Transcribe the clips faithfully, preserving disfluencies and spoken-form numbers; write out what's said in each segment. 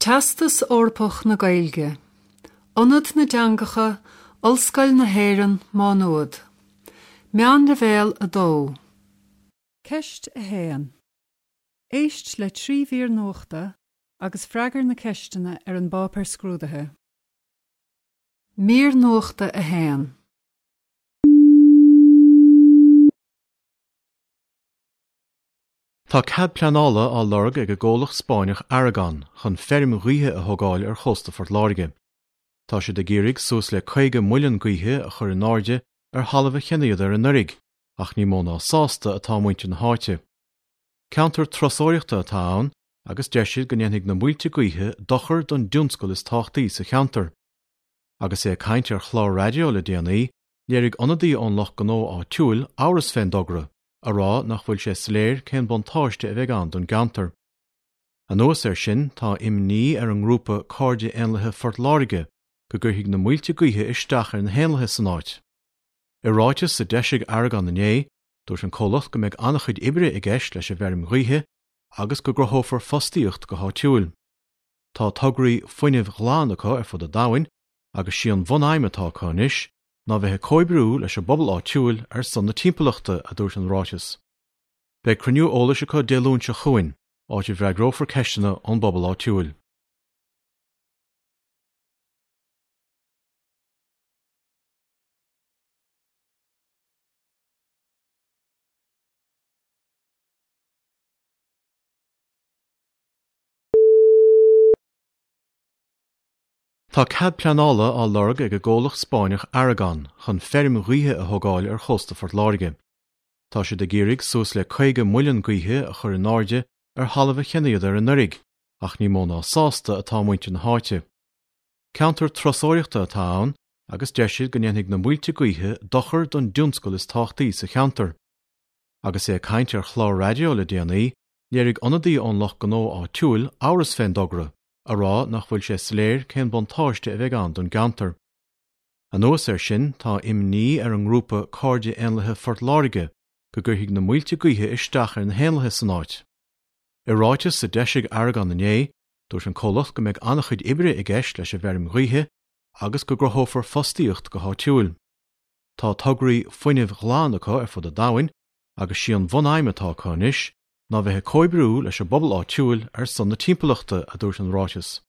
Teastas Eorpach na Gaeilge, Ionad na dTeangacha, Ollscoil na hÉireann, Má Nuad. Meánleibhéal a dó. Ceist a haon. Éist le trí mhír nuachta agus freagair na ceisteanna ar an bpáipéar scrúdaithe. Mír nuachta a haon. Tá cead pleanála á lorg ag an gcomhlacht Spáinneach Aragon chun feirm ghaoithe a thógáil ar chósta Phort Láirge. Tá siad ag iarraidh suas le caoga muileann gaoithe a chur in airde ar thalamh a cheannaíodar anuraidh, ach ní mó ná sásta atá muintir na háite. Ceantar turasóireachta atá ann agus deir siad go ndéanfaidh na muilte gaoithe dochar don dtionscal is tábhachtaí sa cheantar. Agus é ag caint ar chlár raidió le déanaí, léirigh ionadaí ón lucht gnó áitiúil amhras fén dtogra, a rá nach bhfuil sé soiléir cén buntáiste a bheidh ann don gceantar. Anuas air sin, tá imní ar an ngrúpa Cairde Éanlaithe Phort Láirge go gcuirfidh na muilte gaoithe isteach ar na héanlaithe san áit. I ráiteas a d'eisigh Aragon inné, dúirt an comhlacht go mbeidh an-chuid oibre i gceist leis an bhfeirm ghaoithe agus go gcruthófar fostaíocht go háitiúil. Tá tograí fuinnimh ghlan acu ar fud an domhain agus sí an bhunaidhm atá acu anois ná bheith ag comhoibriú leis an bpobal áitiúil ar son na timpeallachta, a dúirt an ráiteas. Beidh cruinniú eolais acu Dé Luain seo chugainn, áit a bhfreagrófar ceisteanna ón bpobal áitiúil. Tá cead pleanála á lorg ag an gcomhlacht Spáinneach Aragon chun feirm ghaoithe a thógáil ar chósta Phort Láirge. Tá siad ag iarraidh suas le caoga muileann gaoithe a chur in airde ar thalamh a cheannaíodar anuraidh, ach ní mó ná sásta atá muintir na háite. Ceantar turasóireachta atá ann agus deir siad go ndéanfaidh na muilte gaoithe dochar don dtionscal is tábhachtaí sa cheantar. Agus é ag caint ar chlár raidió le déanaí, léirigh ionadaí ón lucht gnó áitiúil amhras fén dtogra, a rá nach bhfuil sé soiléir cén buntáiste a bheidh ann don gceantar. Anuas air sin, tá imní ar an ngrúpa Cairde Éanlaithe Phort Láirge go gcuirfidh na muilte gaoithe isteach ar na héanlaithe san áit. I ráiteas a d'eisigh Aragon inné, dúirt an comhlacht go mbeidh an-chuid oibre i gceist leis an bhfeirm ghaoithe agus go gcruthófar fostaíocht go háitiúil. Tá tograí fuinnimh ghlan acu ar fud an domhain agus sí an bhunaidhm atá acu anois ná bheith ag comhoibriú leis an bpobal áitiúil ar son na timpeallachta, a dúirt an ráiteas.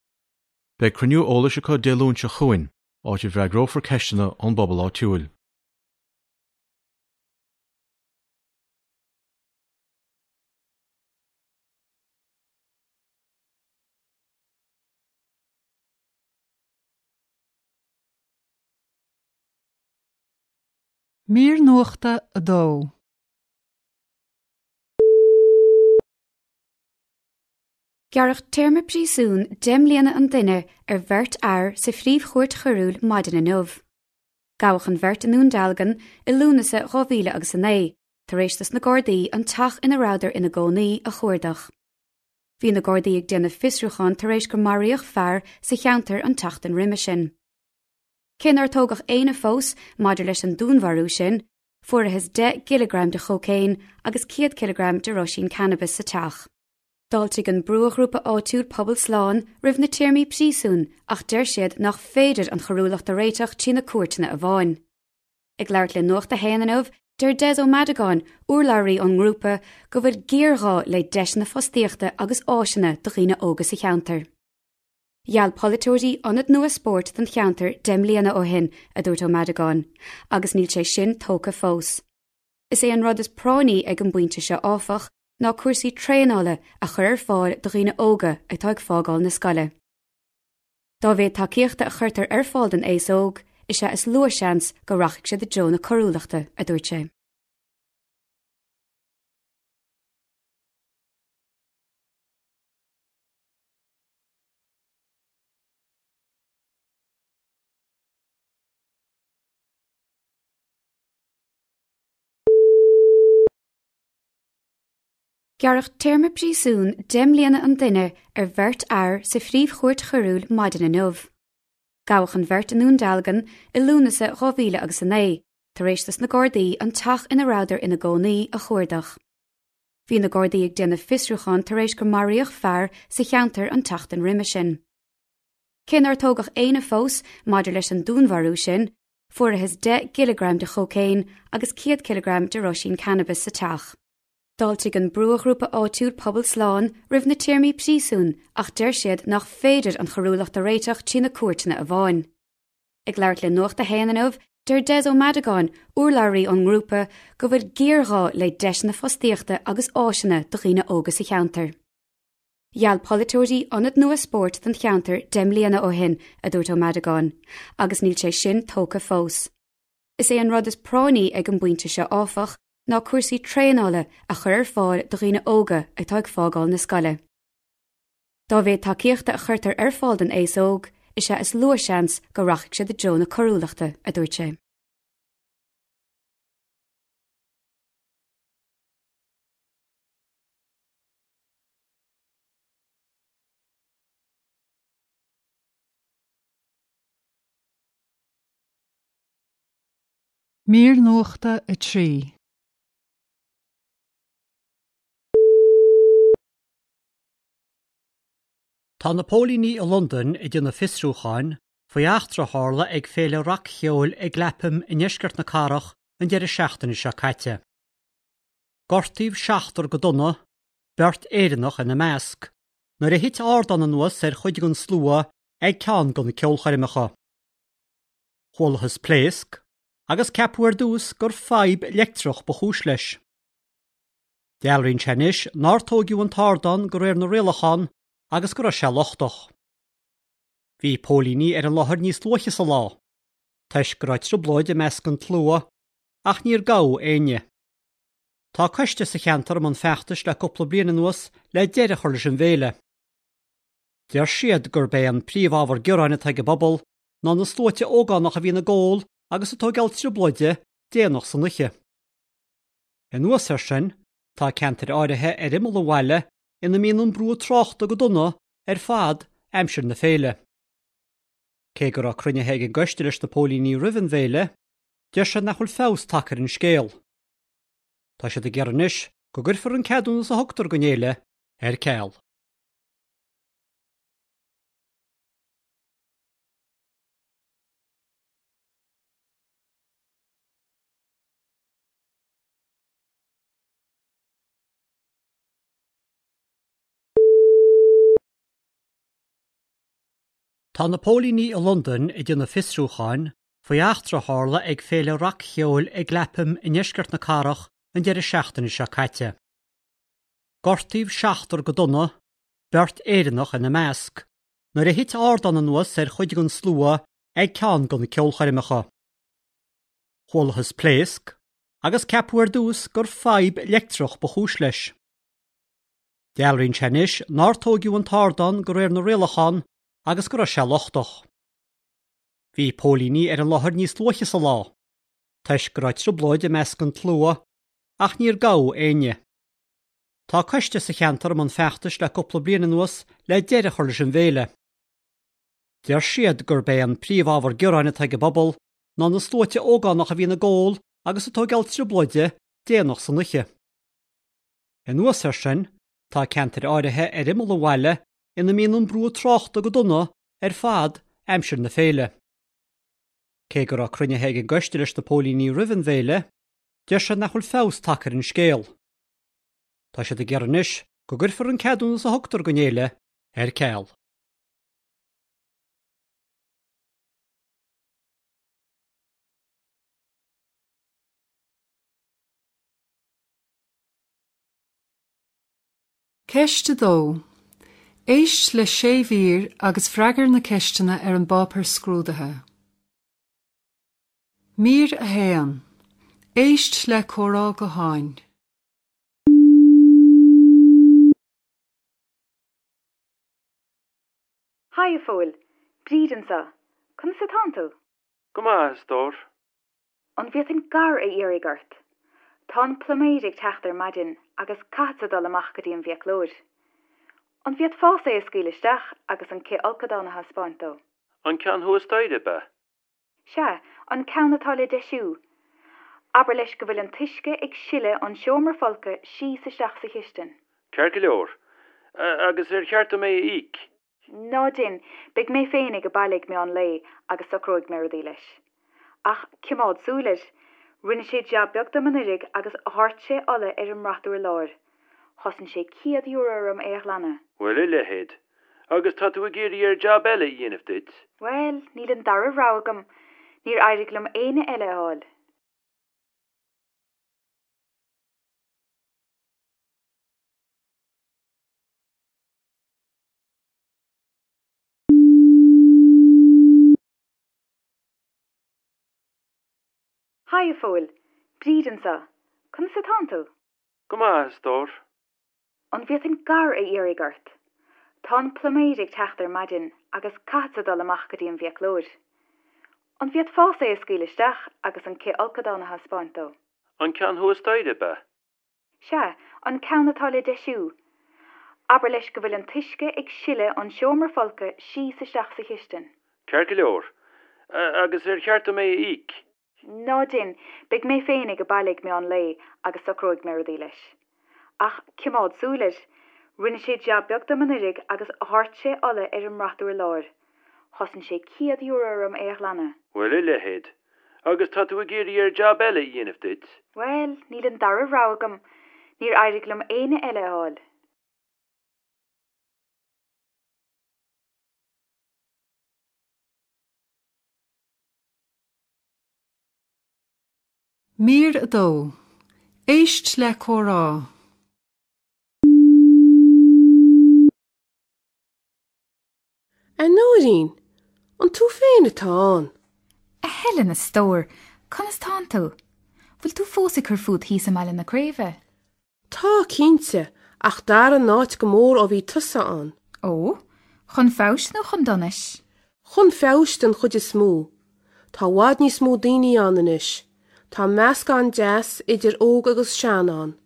Beidh cruinniú eolais acu Dé Luain seo chugainn, áit a bhfreagrófar ceisteanna ón bpobal áitiúil. Mír nuachta a dó. Gearradh téarma príosúin deich mbliana an duine ar bheirt fhear sa phríomhchúirt choiriúil maidin inniu. Gabhadh an bheirt i nDún Dealgan i Lúnasa dhá mhíle agus a naoi, tar éis dos na Gardaí an teach ina rabhadar ina gcónaí a chuardach. Bhí na Gardaí ag déanamh fiosrúcháin tar éis gur maraíodh fear sa cheantar an tseachtain roimhe sin. Cé nár tógadh éinne fós maidir leis an dúnmharú sin, fuarthas deich gcileagram de chócaon agus céad cileagram de roisín cannabis sa teach. D'fháiltigh an brúghrúpa áitiúil Pobal Slán roimh na téarmaí príosúin ach deir siad nach féidir an choiriúlacht a réiteach trí na cúirteanna amháin. Ag labhairt le Nuacht a hAon inniu, deir Des Ó Madagáin, urlabhraí ón ngrúpa, go bhfuil géarghá le deiseanna fostaíochta agus áiseanna do dhaoine óga sa cheantar. Gheall polaiteoirí ionad nua spóirt don cheantar deich mbliana ó shin, a dúirt Ó Madagáin, agus níl sé sin tógtha fós. Is é an rud is práinní ag an bpointe seo áfach ná cúrsaí traenála a chur ar fáil do dhaoine óga atá ag fágáil na scoile. Dá mhéad tacaíochta a chuirtear ar fáil don aos óg, is ea is lú seans go rachaidh siad i dtreo na coiriúlachta, a dúirt sé. Gearradh téarma príosúin deich mbliana an duine ar bheirt fhear sa phríomhchúirt choiriúil maidin inniu. Gabhadh an bheirt i nDún Dealgan i Lúnasa dhá mhíle agus a naoi, tar éis dos na Gardaí an teach ina rabhadar ina gcónaí a chuardach. Bhí na Gardaí ag déanamh fiosrúcháin tar éis gur maraíodh fear sa cheantar an tseachtain roimhe sin. Cé nár tógadh éinne fós maidir leis an dúnmharú sin, fuarthas deich gcileagram de chócaon agus céad cileagram de roisín cannabis sa teach. D'fháiltigh an brúghrúpa áitiúil Pobal Slán roimh na téarmaí príosúin ach deir siad nach féidir an choiriúlacht a réiteach trí na cúirteanna amháin. Ag labhairt le Nuacht a hAon inniu, deir Des Ó Madagáin, urlabhraí ón ngrúpa, go bhfuil géarghá le deiseanna fostaíochta agus áiseanna do dhaoine óga sa cheantar. Gheall polaiteoirí ionad nua spóirt don cheantar deich mbliana ó shin, a dúirt Ó Madagáin, agus níl sé sin tógtha fós. Is é an rud is práinní ag an bpointe seo áfach ná cúrsaí traenála a chur ar fáil do dhaoine óga atá ag fágáil na scoile. Dá mhéad tacaíochta a chuirtear ar fáil don aos óg, is ea is lú seans go rachaidh siad i dtreo na coiriúlachta, a dúirt sé. Mír nuachta a trí. Tá na póilíní i Londain ag déanamh fiosrúcháin faoi eachtra a tharla ag féile rac-cheoil i gClapham i ndeisceart na cathrach an deireadh seachtaine seo caite. Gortaíodh seachtar go dona, beirt Éireannach ina measc, nuair a thit ardán anuas ar chuid den slua ag ceann de na ceolchoirmeacha. Chualathas pléasc agus ceapadh ar dtús gur fadhb leictreach ba chúis leis. Dealraíonn sé anois nár tógadh an t-ardán de réir na rialachán agus go raibh sé lochtach. Bhí póilíní ar an láthair níos luaithe sa lá, toisc go raibh trioblóid i measc an tslua, ach níor gabhadh éinne. Tá coiste sa cheantar i mbun feachtais le cúpla bliain anuas le deireadh a chur leis an bhféile. Deir siad gurb é an príomhábhar gearáin atá ag an bpobal ná na sluaite ógánach a bhíonn ag ól agus ag tógáil trioblóide déanach san oíche. Anuas air sin, tá ceantair áirithe ar imeall an bhaile ina mbíonn an brú tráchta go dona ar fad aimsir na féile. Cé go raibh cruinnithe ag an gcoiste leis na póilíní roimh an bhféile, deir siad nach bhfuil feabhas tagtha ar an scéal. Tá siad ag iarraidh anois go gcuirfear an ceadúnas a thugtar don fhéile ar ceal. Tá na póilíní i Londain ag déanamh fiosrúcháin faoi eachtra a tharla ag féile rac-cheoil i gClapham i ndeisceart na cathrach an deireadh seachtaine seo caite. Gortaíodh seachtar go dona, beirt Éireannach ina measc, nuair a thit ardán anuas ar chuid den slua ag ceann de na ceolchoirmeacha. Chualathas pléasc agus ceapadh ar dtús gur fadhb leictreach ba chúis leis. Dealraíonn sé anois nár tógadh an t-ardán de réir na rialachán agus go raibh sé lochtach. Bhí póilíní ar an láthair níos luaithe sa lá, toisc go raibh trioblóid i measc an tslua, ach níor gabhadh éinne. Tá coiste sa cheantar i mbun feachtais le cúpla bliain anuas le deireadh a chur leis an bhféile. Deir siad gurb é an príomhábhar gearáin atá ag an bpobal ná na sluaite ógánach a bhíonn ag ól agus ag tógáil trioblóide déanach san oíche. Anuas air sin, tá ceantair áirithe ar imeall an bhaile ina mbíonn an brú tráchta go dona ar fad aimsir na féile. Cé go raibh cruinnithe ag an gcoiste leis na póilíní roimh an bhféile, deir siad nach bhfuil feabhas tagtha ar an scéal. Tá siad ag iarraidh anois go gcuirfear an ceadúnas a thugtar don fhéile ar ceal. Ceist a dó. Éist le sé mhír agus freagair na ceisteanna ar an bpáipéar scrúdaithe. Mír a haon. Éist le comhrá gutháin. Haigh a Phóil, Bríd anseo. Conas atánn tú? Go maith, a stór. An bhféadfainn gar a iarraidh ort? Tá an pluiméir ag teacht ar maidin agus caithfeadsa dul amach go dtí an bhfiaclóir. An bhféadfása é a scaoileadh isteach agus an cithfholcadán a thaispeáint dó? An ceann thuas staighre, ab ea? Sea, an ceann atá le deisiú. Abair leis go bhfuil an t-uisce ag sileadh ón seomra folctha síos isteach sa chistin. Ceart go leor. Agus ar cheart dom é a íoc? Ná déan, beidh mé féin ag baile ag meán lae agus socróidh mé rudaí leis. Ach coimeád súil air. Rinne sé jab beag dom anuraidh agus dhoirt sé ola ar an mbrat urláir. Chosain sé céad euro orm é a ghlanadh. Bhuel, a leithéid. Agus tá tú ag iarraidh air jab eile a dhéanamh duit? Bhuel, níl an dara rogha agam. Níor éirigh liom éinne eile a fháil. Haigh, a Phóil. Bríd anseo. Conas atánn tú? Go maith, a stór. An bhféadfainn gar a iarraidh ort? Tá an pluiméir ag teacht ar maidin agus caithfeadsa dul amach go dtí an bhfiaclóir. An bhféadfása é a scaoileadh isteach agus an cithfholcadán a thaispeáint dó? An ceann thuas staighre, ab ea? Sea, an ceann atá le deisiú. Abair leis go bhfuil an t-uisce ag sileadh ón seomra folctha síos isteach sa chistin. Ceart go leor. Agus ar cheart dom é a íoc? Ná déan, beidh mé féin ag baile ag meán lae agus socróidh mé rudaí leis. Ach coimeád súil air. Rinne sé jab beag dom anuraidh agus dhoirt sé ola ar an mbrat urláir. Chosain sé céad euro orm é a ghlanadh. Bhuel, a leithéid. Agus tá tú ag iarraidh air jab eile a dhéanamh duit? Bhuel, níl an dara rogha agam. Níor éirigh liom éinne eile a fháil. Mír a dó. Éist le comhrá. A Nóirín, an tú féin atá ann? A Helen, a stór, conas tánn tú? Bhfuil tú fós ag cur fút thíos i mBaile na Craoibhe? Tá, cinnte, ach d'athraigh an áit go mór ó bhí tusa ann. Ó, chun feabhais nó chun donais? Chun feabhais den chuid is mó. Tá i bhfad níos mó daoine ann anois. Tá meascán deas idir óg agus sean ann.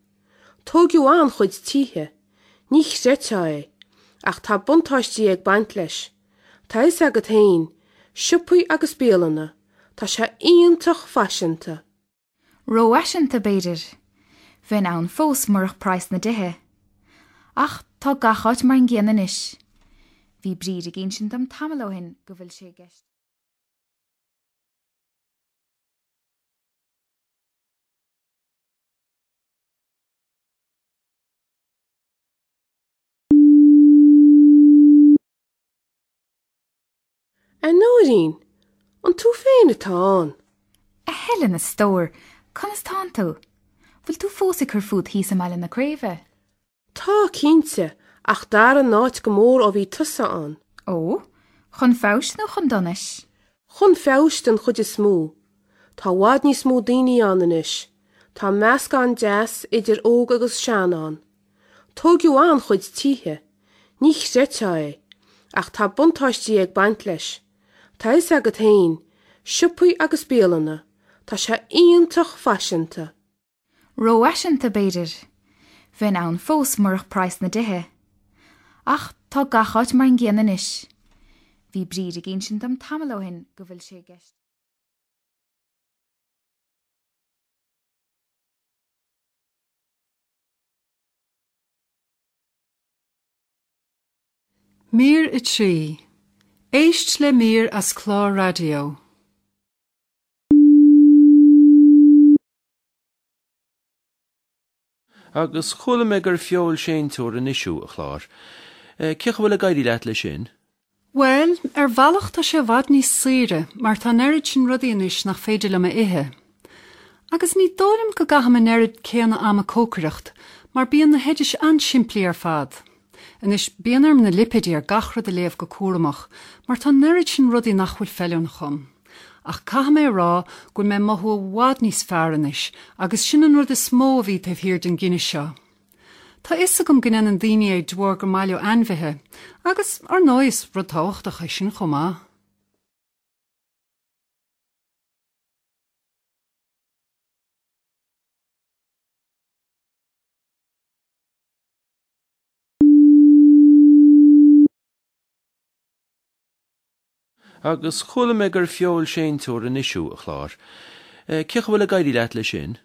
Tógadh an-chuid tithe. Ní chreidfeá é. Ach tá buntáistí ag baint leis. Tá a fhios agat féin, siopaí agus bialanna, tá sé iontach faiseanta. Rófhaiseanta, b'fhéidir. Bheinn ann fós murach praghas na dtithe. Ach tá gach áit mar an gcéanna anois. Bhí Bríd ag insint dom tamall ó shin go bhfuil sé i gceist. A Nóirín, an tú féin atá ann? A Helen, a stór, conas tánn tú? Bhfuil tú fós ag cur fút thíos i mBaile na Craoibhe? Tá, cinnte, ach d'athraigh an áit go mór ó bhí tusa ann. Ó, chun feabhais nó chun donais? Chun feabhais den chuid is mó. Tá i bhfad níos mó daoine ann anois. Tá meascán deas idir óg agus sean ann. Tógadh an-chuid tithe. Ní chreidfeá é. Ach tá buntáistí ag baint leis. Tá a fhios agat féin, siopaí agus bialanna, tá sé iontach faiseanta. Rófhaiseanta, b'fhéidir. Bheinn ann fós murach praghas na dtithe. Ach tá gach áit mar an gcéanna anois. Bhí Bríd ag insint dom tamall ó shin go bhfuil sé i gceist. Mír a trí. Éist le mír as clár raidió. Agus chuala mé gur feoilséantóir anois thú, a Chláir. Cén chaoi a bhfuil ag éirí leat leis sin? Bhuel, ar bhealach tá sé i bhfad níos saoire mar tá an oiread sin rudaí anois nach féidir liom a ithe. Agus ní dóigh liom go gcaithim an oiread céanna ama ag cócaireacht mar bíonn na hoidis an-simplí ar fad. Anois, bíonn orm na lipéidí ar gach rud a léamh go cúramach, mar tá an oiread sin rudaí nach bhfuil feiliúnach dom. Ach caithfidh mé a rá go bhfuil mé ag mothú i bhfad níos fearr anois, agus sin an rud is mó a bhí taobh thiar den gcinneadh seo. Tá a fhios agam go ndéanann daoine é de bharr gur maith leo ainmhithe, agus, ar ndóigh, is rud tábhachtach é sin chomh maith. Agus chuala mé gur feoilséantóir anois thú, a Chláir. Cén chaoi a bhfuil ag éirí leat leis sin?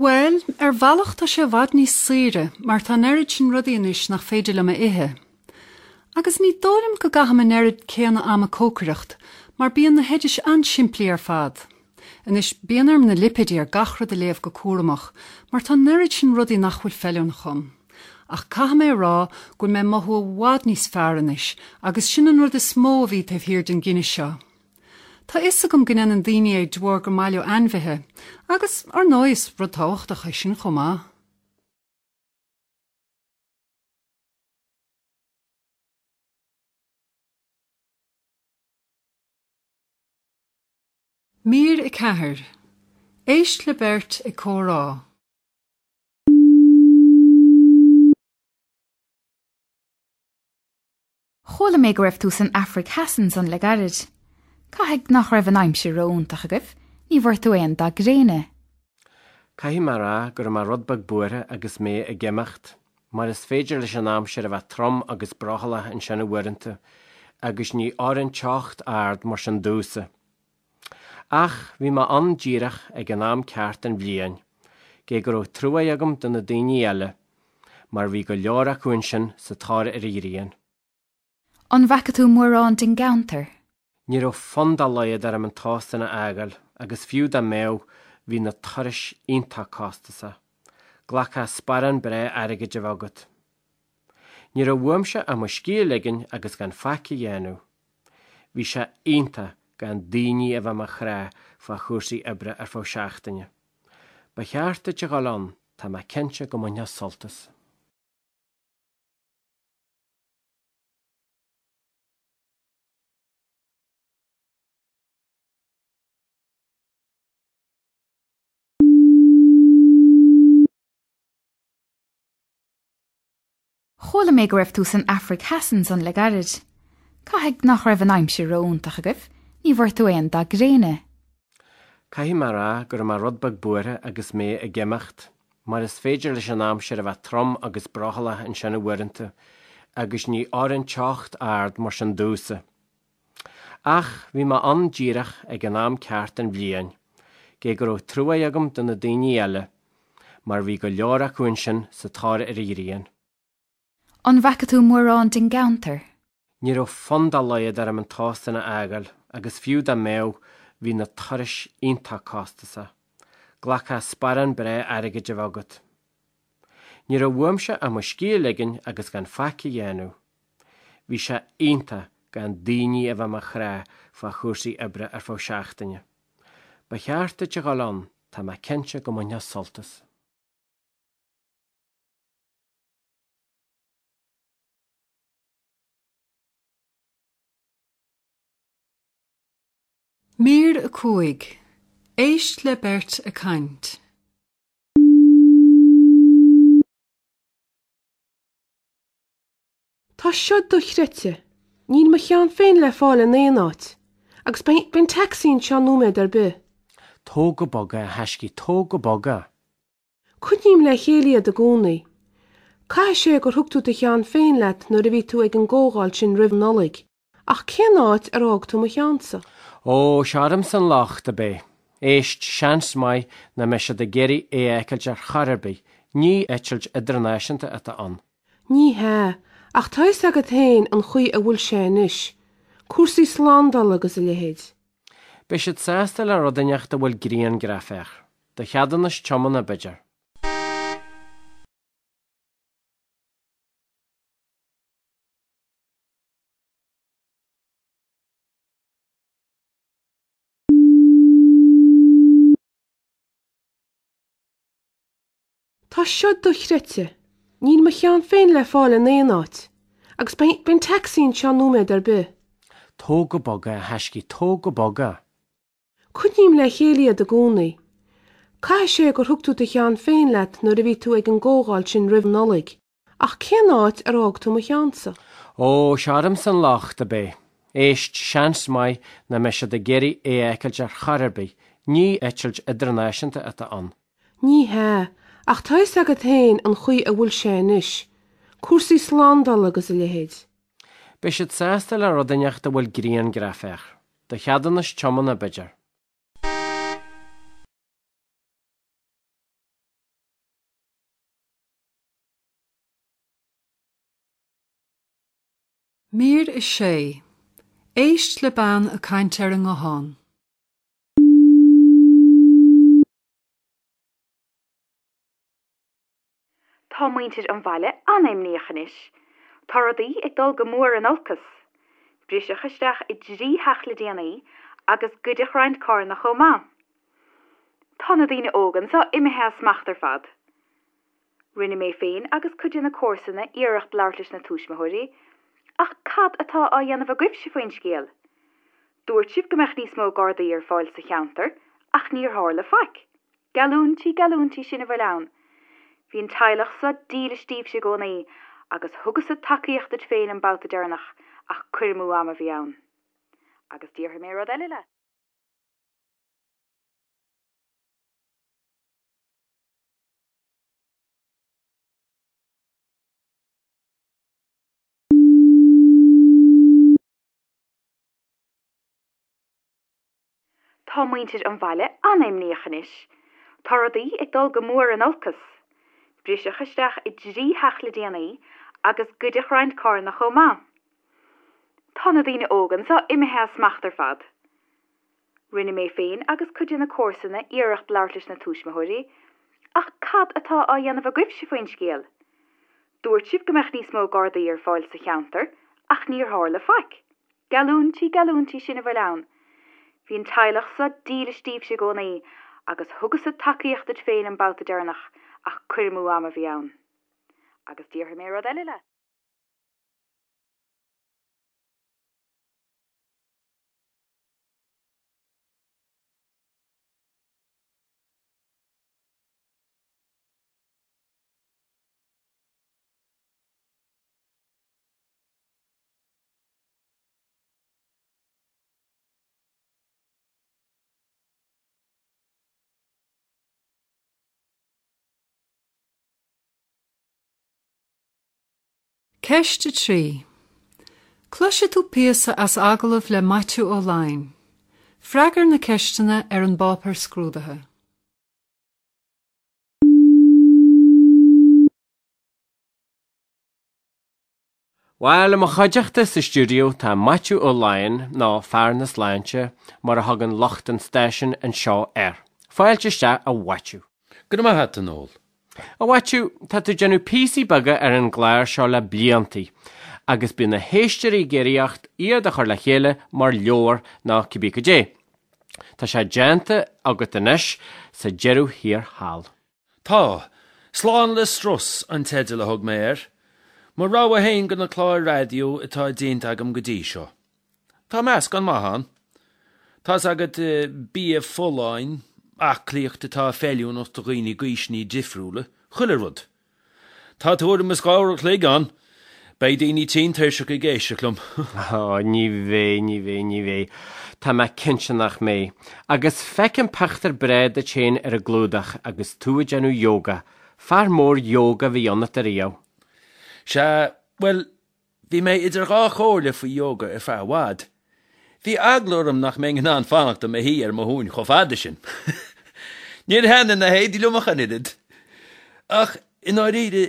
Bhuel, ar bhealach tá sé i bhfad níos saoire mar tá an oiread sin rudaí anois nach féidir liom a ithe. Agus ní dóigh liom go gcaithim an oiread céanna ama ag cócaireacht, mar bíonn na hoidis an-simplí ar fad. Anois, bíonn orm na lipéidí ar gach rud a léamh go cúramach, mar tá an oiread sin rudaí nach bhfuil feiliúnach dom. Ach caithfidh mé a rá go bhfuil mé ag mothú i bhfad níos fearr anois, agus sin an rud is mó a bhí taobh thiar den gcinneadh seo. Tá fhios agam go ndéanann daoine é de bharr gur maith leo ainmhithe, agus ar ndóigh is rud tábhachtach é sin chomh maith. Mír a ceathair. Éist le beirt ag comhrá. Chuala mé go raibh tú san Afraic Theas ansan le gairid. Caithfidh nach raibh an aimsir ró-iontach agaibh, ní bhfuair tú aon dath gréine. Caithfidh mé a rá go raibh mé rud beag buartha agus mé ag imeacht, mar is féidir leis an aimsir a bheith trom agus brothallach ansin uaireanta, agus ní oireann teocht ard mar sin domhsa. Ach bhí mé ann díreach ag an am ceart den bhliain, gé go raibh trua agam do na daoine eile, mar bhí go leor acu ansin sa tóir ar an ghrian. An bhfaca tú mórán den gceantar? Ní raibh fonn dá laghad orm an t-óstán a fhágáil agus fiú dá mbeadh, bhí na turais iontach costasach. Ghlacfadh sparán breá airgid a bheith agat. Ní raibh uaimse ach mo scíth a ligean agus gan faic a dhéanamh. Bhí sé iontach gan daoine a bheith i mo chrá fá chúrsaí oibre ar feadh seachtaine. Ba cheart duit a dhul ann, tá mé cinnte go mbainfeá sult as. Chuala mé go raibh tú san Afraic Theas ansan le gairid. Caithfidh nach raibh an aimsir ró-iontach agaibh, ní bhfuair tú aon dath gréine. Caithfidh mé a rá go raibh mé rud beag buartha agus mé ag imeacht, mar is féidir leis an aimsir a bheith trom agus brothallach ansin uaireanta, agus ní oireann teocht ard mar sin domhsa. Ach bhí mé ann díreach ag an am ceart den bhliain, gé go raibh trua agam do na daoine eile, mar bhí go leor acu ansin sa tóir ar an ghrian. An bhfaca tú mórán den gceantar? Ní raibh fonn dá laghad orm an t-óstán a fhágáil agus fiú dá mbeadh, bhí na turais iontach costasach. Ghlacfadh sparán breá airgid a bheith agat. Ní raibh uaimse ach mo scíth a ligean agus gan faic a dhéanamh. Bhí sé iontach gan daoine a bheith i mo chrá fá chúrsaí oibre ar feadh seachtaine. Ba cheart duit a dhul ann, tá mé cinnte go mbainfeá sult as. Mír a cúig. Éist le beirt ag caint. Tá seo dochreidte. Níl mo cheann féin le fáil in aon áit. Agus beidh an tacsaí anseo nóiméad ar bith. Tóg go bog é, a thaiscidh, tóg go bog é. Coinním le chéile iad i gcónaí. Caithfidh sé gur thug tú do cheann féin leat nuair a bhí tú ag an gcomhdháil sin roimh Nollaig. Ach cén áit ar fhág tú mo cheannsa? Ó, seo ormsa an locht, ab é? Éist, seans maith nach mbeidh siad ag iarraidh é a fheiceáilt ar chor ar bith, ní eitilt idirnáisiúnta atá ann. Ní hea, ach tá fhios agat féin an chaoi a bhfuil sé anois. Cúrsaí slándála agus a leithéid. Beidh siad sásta le rud inteacht a bhfuil grianghraf air. Do cheadúnas tiomána, b'fhéidir. Tá seo dochreidte. Níl mo cheann féin le fáil in aon áit. Agus beidh an tacsaí anseo nóiméad ar bith. Tóg go bog é, a thaiscidh, tóg go bog é. Coinním le chéile iad i gcónaí. Caithfidh sé gur thug tú do cheann féin leat nuair a bhí tú ag an gcomhdháil sin roimh Nollaig. Ach cén áit ar fhág tú mo cheannsa? Ó, seo ormsa an locht, ab é? Éist, seans maith nach mbeidh siad ag iarraidh é a fheiceáilt ar chor ar bith, ní eitilt idirnáisiúnta atá ann. Ní hea, ach tá fhios agat féin an chaoi a bhfuil sé anois. Cúrsaí slándála agus a leithéid. Beidh siad sásta le rud inteacht a bhfuil grianghraf air. Do cheadúnas tiomána, b'fhéidir. Mír a sé. Éist le bean ag caint ar an nguthán. Tá muintir an bhaile an-imníoch anois. Tá rudaí ag dul go mór in olcas. Briseadh isteach i dtrí theach le déanaí agus goideadh roinnt carranna chomh maith. Tá na daoine óga anseo imithe as smacht ar fad. Rinne mé féin agus cuid de na comharsana iarracht labhairt leis na tuismitheoirí, ach cad atá á dhéanamh agaibhse faoin scéal? Dúirt sibh go mbeadh níos mó gardaí ar fáil sa cheantar, ach níor tharla faic. Geallúintí, geallúintí, sin a bhfuil ann. Bhí an teaghlach seo dílis daoibhse i gcónaí agus thugais-sa tacaíocht duit féin an babhta deireanach ach cur amú ama a bhí ann. Agus déarfaidh mé rud eile leat. Tá muintir an bhaile an-imníoch anois. Tá rudaí ag dul go mór in olcas. Briseadh isteach i dtrí theach le déanaí agus goideadh roinnt carranna chomh maith. Tá na daoine óga anseo imithe as smacht ar fad. Rinne mé féin agus cuid de na comharsana iarracht labhairt leis na tuismitheoirí, ach cad atá á dhéanamh agaibhse faoin scéal? Dúirt sibh go mbeadh níos mó gardaí ar fáil sa cheantar, ach níor tharla faic. Geallúintí, geallúintí, sin a bhfuil ann. Bhí an teaghlach seo dílis daoibhse i gcónaí agus thugas-sa tacaíocht duit féin an babhta deireanach ach cur amú ama a bhí ann. Agus déarfaidh mé rud eile leat. Ceist a trí. Cloisfidh tú píosa as agallamh le Maitiú Ó Laighin. Freagair na ceisteanna ar an bpáipéar scrúdaithe. Bhuel, i mo chuideachta sa stiúideo tá Maitiú Ó Laighin, nó Fear na Sláinte, mar a thugann lucht an stáisiúin anseo air. Fáilte isteach, a Mhaitiú. Go raibh maith agat, a Noel. A Mhaitiú, tá tú ag déanamh píosaí beaga ar an gclár seo le bliantaí, agus bíonn na héisteoirí ag iarraidh ort iad a chur le chéile mar leabhar nó cibé cad é. Tá sé déanta agat anois sa deireadh thiar thall. Tá. Slán le Strus an teideal a thug mé air. Mo rogha féin de na cláir raidió atá déanta agam go dtí seo. Tá meascán maith ann. Tá's agat, bia folláin, aclaíocht atá feiliúnach do dhaoine d'aoiseanna difriúla, chuile rud. Tá tuairim is dhá uair an chloig ann. Beidh daoine tinn tuirseach ag éisteacht liom. Ó, ní bheidh, ní bheidh, ní bheidh. Tá mé cinnte nach mbeidh. Agus feicim pictiúr breá duit féin ar an gclúdach agus tú ag déanamh yoga. Fear mór yoga a bhí ionat ariamh. Sea, bhuel, bhí mé idir dhá chomhairle faoi yoga ar feadh i bhfad. Bhí eagla orm nach mbeinn in ann fanacht i mo shuí ar mo thóin chomh fada sin. Níor thaitnigh na héadaí liom ach an oiread. Ach, i ndáiríre,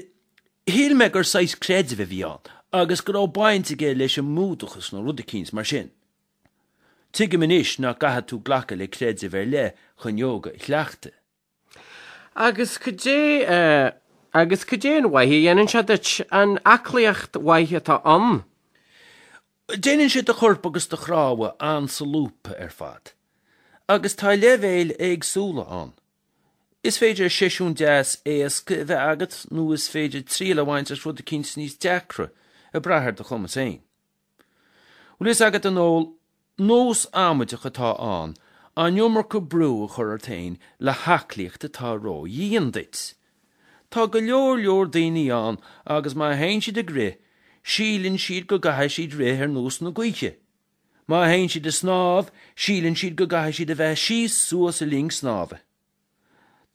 shíl mé gur saghas creidimh a bhí ann agus go raibh baint aige leis an mBúdachas nó rud eicínt mar sin. Tuigim anois nach gcaithfidh tú glacadh le creideamh ar leith chun ióga a chleachtadh. Agus cad é, agus cad é an mhaith a dhéanann sé duit, an aclaíocht mhaith atá ann? Déanann sé do chorp agus do chnámha an-solúbtha ar fad. Agus tá leibhéil éagsúla ann. Is féidir seisiún deas éasca a bheith agat nó is féidir triail a bhaint as rud eicínt níos deacra, ag brath ar do chumas féin. Bhfuil fhios agat, a Noel, nós amaideach atá ann an iomarca brú a chur ort féin le haclaíocht atá ró-dhian duit. Tá go leor leor daoine ann agus má théann siad ag rith, síleann siad go gcaithfidh siad rith ar nós na gaoithe. Má théann siad ag snámh, síleann siad go gcaithfidh siad a bheith síos suas i linn snámha.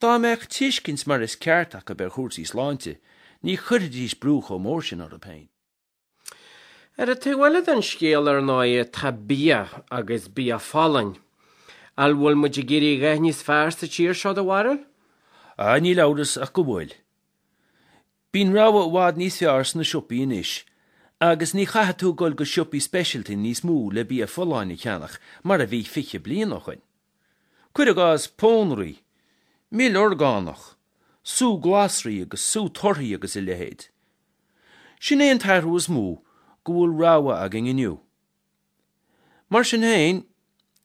Dá mbeadh tuiscint mar is ceart acu ar chúrsaí sláinte, ní chuirfidís brú chomh mór sin orthu féin. Ar an taobh eile den scéal, ar ndóigh, tá bia, agus bia folláin. An bhfuil muid ag éirí a dhath níos fearr sa tír seo, do bharúil? Ah, níl amhras ach go bhfuil. Bíonn rogha i bhfad níos fearr sna siopaí anois, Agus ní chaithfidh tú dul go siopaí speisialta níos mó le bia folláin a cheannach mar a bhí fiche bliain ó shoin. Cuir i gcás pónairí, mil orgánach, sú glasraí agus sú torthaí agus a leithéid. Sin é an t-athrú is mó, go bhfuil rogha againn inniu. Mar sin féin,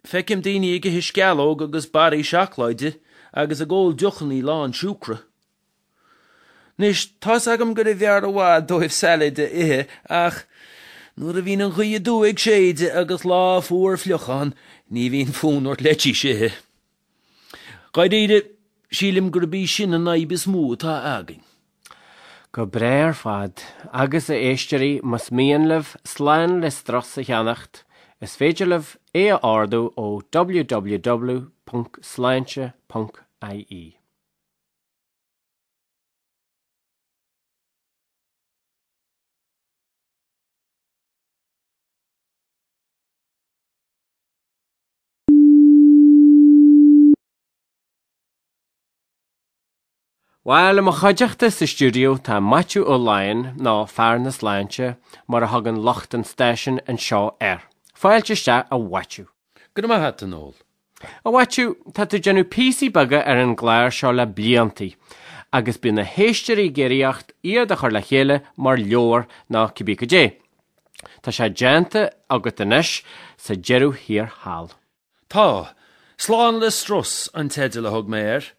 feicim daoine ag ithe sceallóg agus barraí seacláide agus ag ól deochanna lán siúcra. Anois, tá's agam gurbh fhearr i bhfad dóibh salad a ithe ach nuair a bhíonn an ghaoth aduaidh ag séideadh agus lá fuar fliuch ann, ní bhíonn fonn ort leitís a ithe. Dháiríre, sílim gurb í sin an fhadhb is mó atá againn. Go breá ar fad. Agus a éisteoirí, más mian libh Slán le Strus a cheannacht, is féidir libh é a ordú ó www ponc sláinte ponc ie. Bhuel, i mo chuideachta sa stiúideo tá Maitiú Ó Laighin, nó Fear na Sláinte, mar a thugann lucht an stáisiúin anseo air. Fáilte isteach, a Mhaitiú. Go raibh maith agat, a Noel. A Mhaitiú, tá tú ag déanamh píosaí beaga ar an gclár seo le bliantaí, agus bíonn na héisteoirí ag iarraidh ort iad a chur le chéile mar leabhar nó cibé cad é. Tá sé déanta agat anois sa deireadh thiar thall. Tá. Slán le Strus an teideal a thug mé air.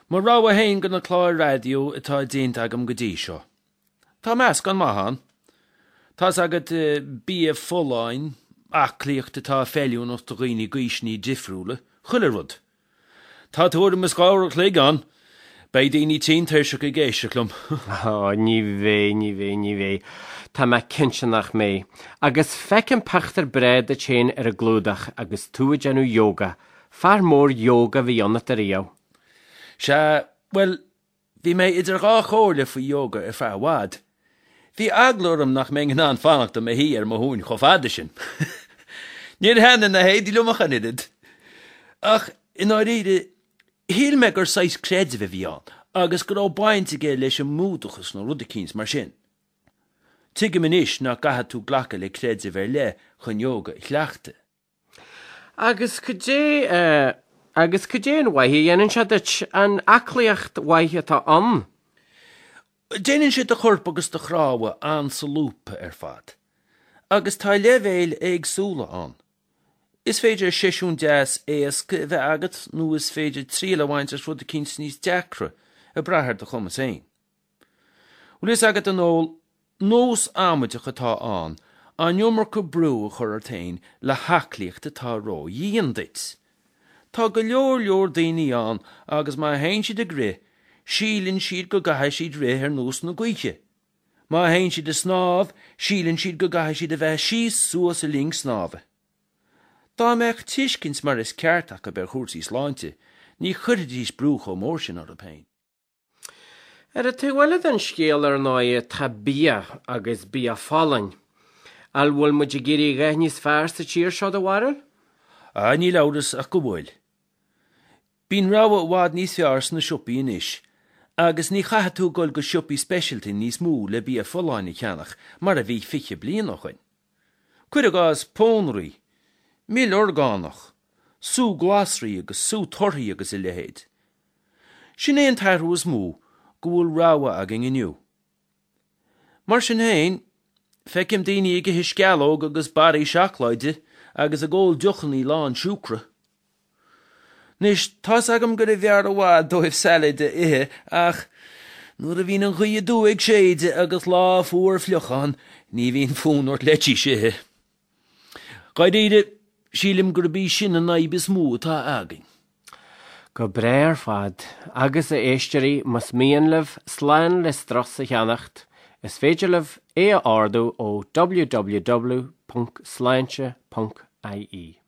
Mo rogha féin de na cláir raidió atá déanta agam go dtí seo. Tá meascán maith ann. Tá's agat, bia folláin, aclaíocht atá feiliúnach do dhaoine d'aoiseanna difriúla, chuile rud. Tá tuairim is dhá uair a chloig ann. Beidh daoine tinn tuirseach ag éisteacht liom. Ó, ní bheidh, ní bheidh, ní bheidh. Tá mé cinnte nach mbeidh. Agus feicim pictiúr breá duit féin ar an gclúdach agus tú ag déanamh yoga. Fear mór yoga a bhí ionat ariamh. Sea, bhuel, bhí mé idir dhá chomhairle faoi yoga ar feadh i bhfad. Bhí eagla orm nach mbeinn in ann fanacht i mo shuí ar mo thóin chomh fada sin. Níor thaitnigh na héadaí liom ach an oiread. Ach, i ndáiríre, shíl mé gur saghas creidimh a bhí ann agus go raibh baint aige leis an mBúdachas nó rud eicínt mar sin. Tuigim anois nach gcaithfidh tú glacadh le creideamh ar leith chun yoga a chleachtadh. Agus cad é, agus cad é an mhaith a dhéanann sé duit, an aclaíocht mhaith atá ann? Déanann sé do chorp agus do chnámha an-solúbtha ar fad. Agus tá leibhéil éagsúla ann. Is féidir seisiún deas éasca a bheith agat nó is féidir triail a bhaint as rud eicínt níos deacra, ag brath ar do chumas féin. Bhfuil fhios agat, a Noel, nós amaideach atá ann an iomarca brú a chur ort féin le haclaíocht atá ró-dhian duit. Tá go leor leor daoine ann agus má théann siad ag rith, síleann siad go gcaithfidh siad rith ar nós na gaoithe. Má théann siad ag snámh, síleann siad go gcaithfidh siad a bheith síos suas i linn snámha. Dá mbeadh tuiscint mar is ceart acu ar chúrsaí sláinte, ní chuirfidís brú chomh mór sin orthu féin. Ar an taobh eile den scéal, ar ndóigh, tá bia, agus bia folláin. An bhfuil muid ag éirí a dhath níos fearr sa tír seo, do bharúil? Ah, níl amhras ach go bhfuil. Bíonn rogha i bhfad níos fearr sna siopaí anois, agus ní chaithfidh tú dul go siopaí speisialta níos mó le bia folláin a cheannach mar a bhí fiche bliain ó shoin. Cuir i gcás pónairí, mil orgánach, sú glasraí agus sú torthaí agus a leithéid. Sin é an t-athrú is mó, go bhfuil rogha againn inniu. Mar sin féin, feicim daoine ag ithe sceallóg agus barraí seacláide agus ag ól deochanna lán siúcra. Anois, tá's agam gurbh fhearr i bhfad dóibh salad a ithe ach nuair a bhíonn an ghaoth aduaidh ag séideadh agus lá fuar fliuch ann, ní bhíonn fonn ort leitís a ithe. Dháiríre, sílim gurb í sin an fhadhb is mó atá againn. Go breá ar fad. Agus a éisteoirí, más mian libh Slán le Strus a cheannacht, is féidir libh é a ordú ó www ponc sláinte ponc ie.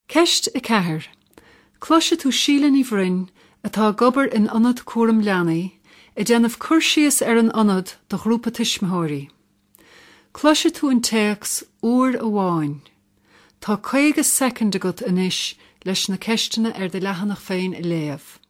Ceist a ceathair. Cloisfidh tú Síle Ní Bhroin, atá ag obair in ionad cúram leanaí, ag déanamh cur síos ar an ionad do ghrúpa tuismitheoirí. Cloisfidh tú an téacs uair amháin. Tá caoga soicind agat anois leis na ceisteanna ar do leathanach féin a léamh.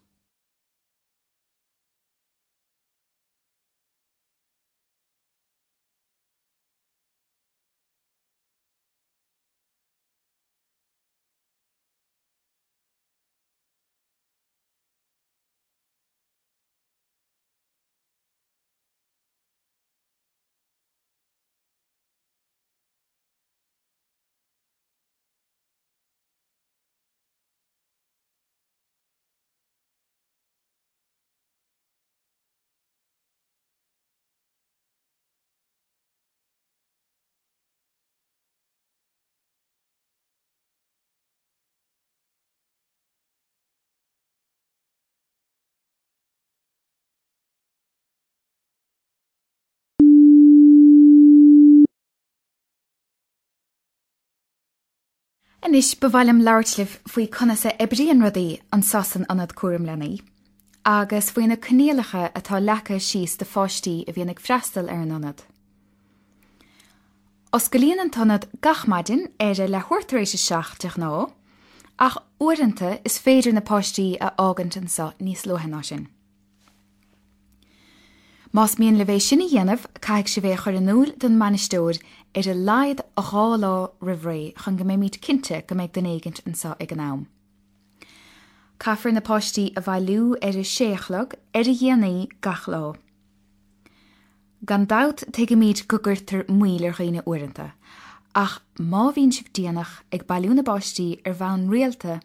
Anois ba mhaith liom labhairt libh faoi conas a oibríonn rudaí anseo san Ionad Cúram Leanaí, agus faoi na coinníollacha atá leagtha síos do pháistí a bhíonn ag freastal ar an ionad. Osclaíonn an t-ionad gach maidin ar a leathuair tar éis a seacht de ghnáth, ach uaireanta is féidir na páistí a fhágaint anseo níos luaithe ná sin. Más mian libh é sin a dhéanamh, caithfidh sibh é a chur in iúl don mbainisteoir ar a laghad dhá lá roimh ré chun go mbeimid cinnte go mbeidh duine éigint anseo ag an am. Caithfear na páistí a bhailiú ar a sé a chlog ar a dhéanaí gach lá. Gan dabht tuigimid go gcuirtear moill ar dhaoine uaireanta, ach má bhíonn sibh déanach ag bailiú na bpáistí ar bhonn rialta,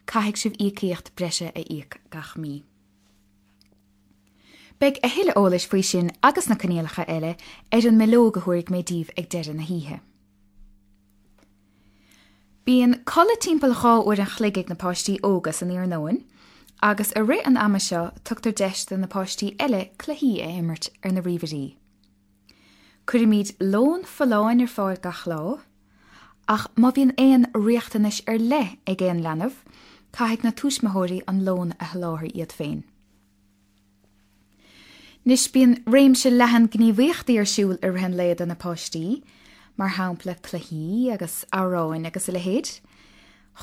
caithfidh sibh íocaíocht breise a íoc gach mí. Beidh a thuilleadh eolais faoi sin agus na coinníollacha eile ar an mbileog a thabharfaidh mé daoibh ag deireadh na hoíche. Bíonn codladh timpeall dhá uair an chloig ag na páistí óga san iarnóin, agus i rith an ama seo tugtar deis do na páistí eile cluichí a imirt ar na ríomhairí. Cuirimid lón folláin ar fáil gach lá, ach má bhíonn aon riachtanais ar leith ag aon leanbh, caithfidh na tuismitheoirí an lón a sholáthar iad féin. Anois bíonn réimse leathan gníomhaíochtaí ar siúl i rith an lae do na páistí, mar shampla cluichí agus amhráin agus a leithéid.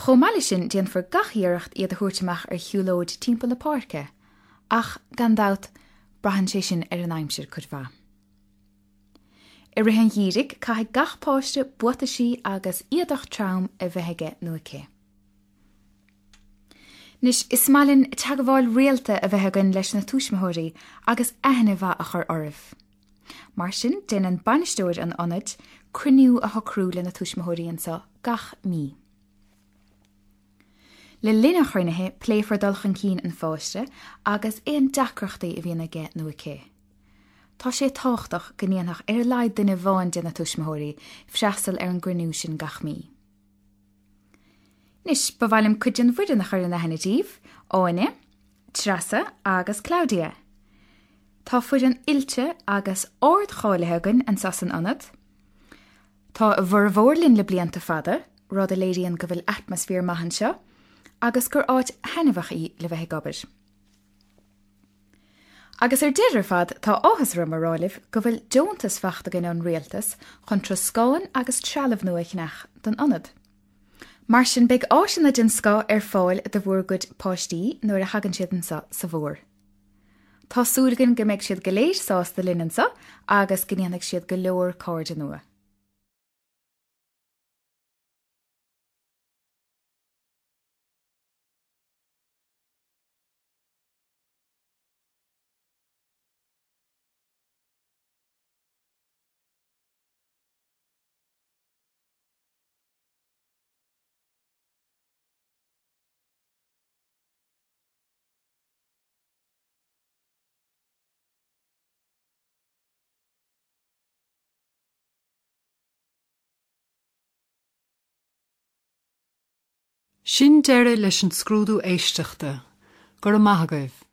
Chomh maith leis sin déanfar gach iarracht iad a thabhairt amach ar shiúlóid timpeall na páirce, ach gan dabht braitheann sé sin ar an aimsir cuid mhaith. I rith an gheimhridh caithfidh gach páiste buataisí agus éadach trom a bheith aige nó aici. Anois, is maith linn teagmháil rialta a bheith againn leis na tuismitheoirí agus aithne mhaith a chur oraibh. Mar sin, déanann bainisteoir an ionaid cruinniú a shocrú le na tuismitheoirí anseo gach mí. Le linn an chruinnithe, pléifear dul chun cinn an pháiste agus aon deacrachtaí a bhíonn aige nó aici. Tá sé tábhachtach go ndéanfadh ar a laghad duine amháin de na tuismitheoirí freastal ar an gcruinniú sin gach mí. Anois, ba mhaith liom cuid den bhfoireann a chur in aithne daoibh, Áine, Treasa agus Claudia. Tá foireann oilte agus ardcháilithe againn anseo san ionad. Tá a bhformhór linn le blianta fada, rud a léiríonn go bhfuil atmaisféar maith anseo, agus gur áit thaitneamhach í le bheith ag obair. Agus ar deireadh ar fad, tá áthas orm a rá libh go bhfuil deontas faighte againn ón rialtas chun troscán agus trealamh nua a cheannach don ionad. Mar sin beidh áiseanna den scoth ar fáil do bhur gcuid páistí nuair a thagann siad anseo sa bhfómhar. Tá súil againn go mbeidh siad go léir sásta linn anseo agus go ndéanfaidh siad go leor cairde nua. Sin deireadh leis an scrúdú éisteachta. Go raibh maith agaibh.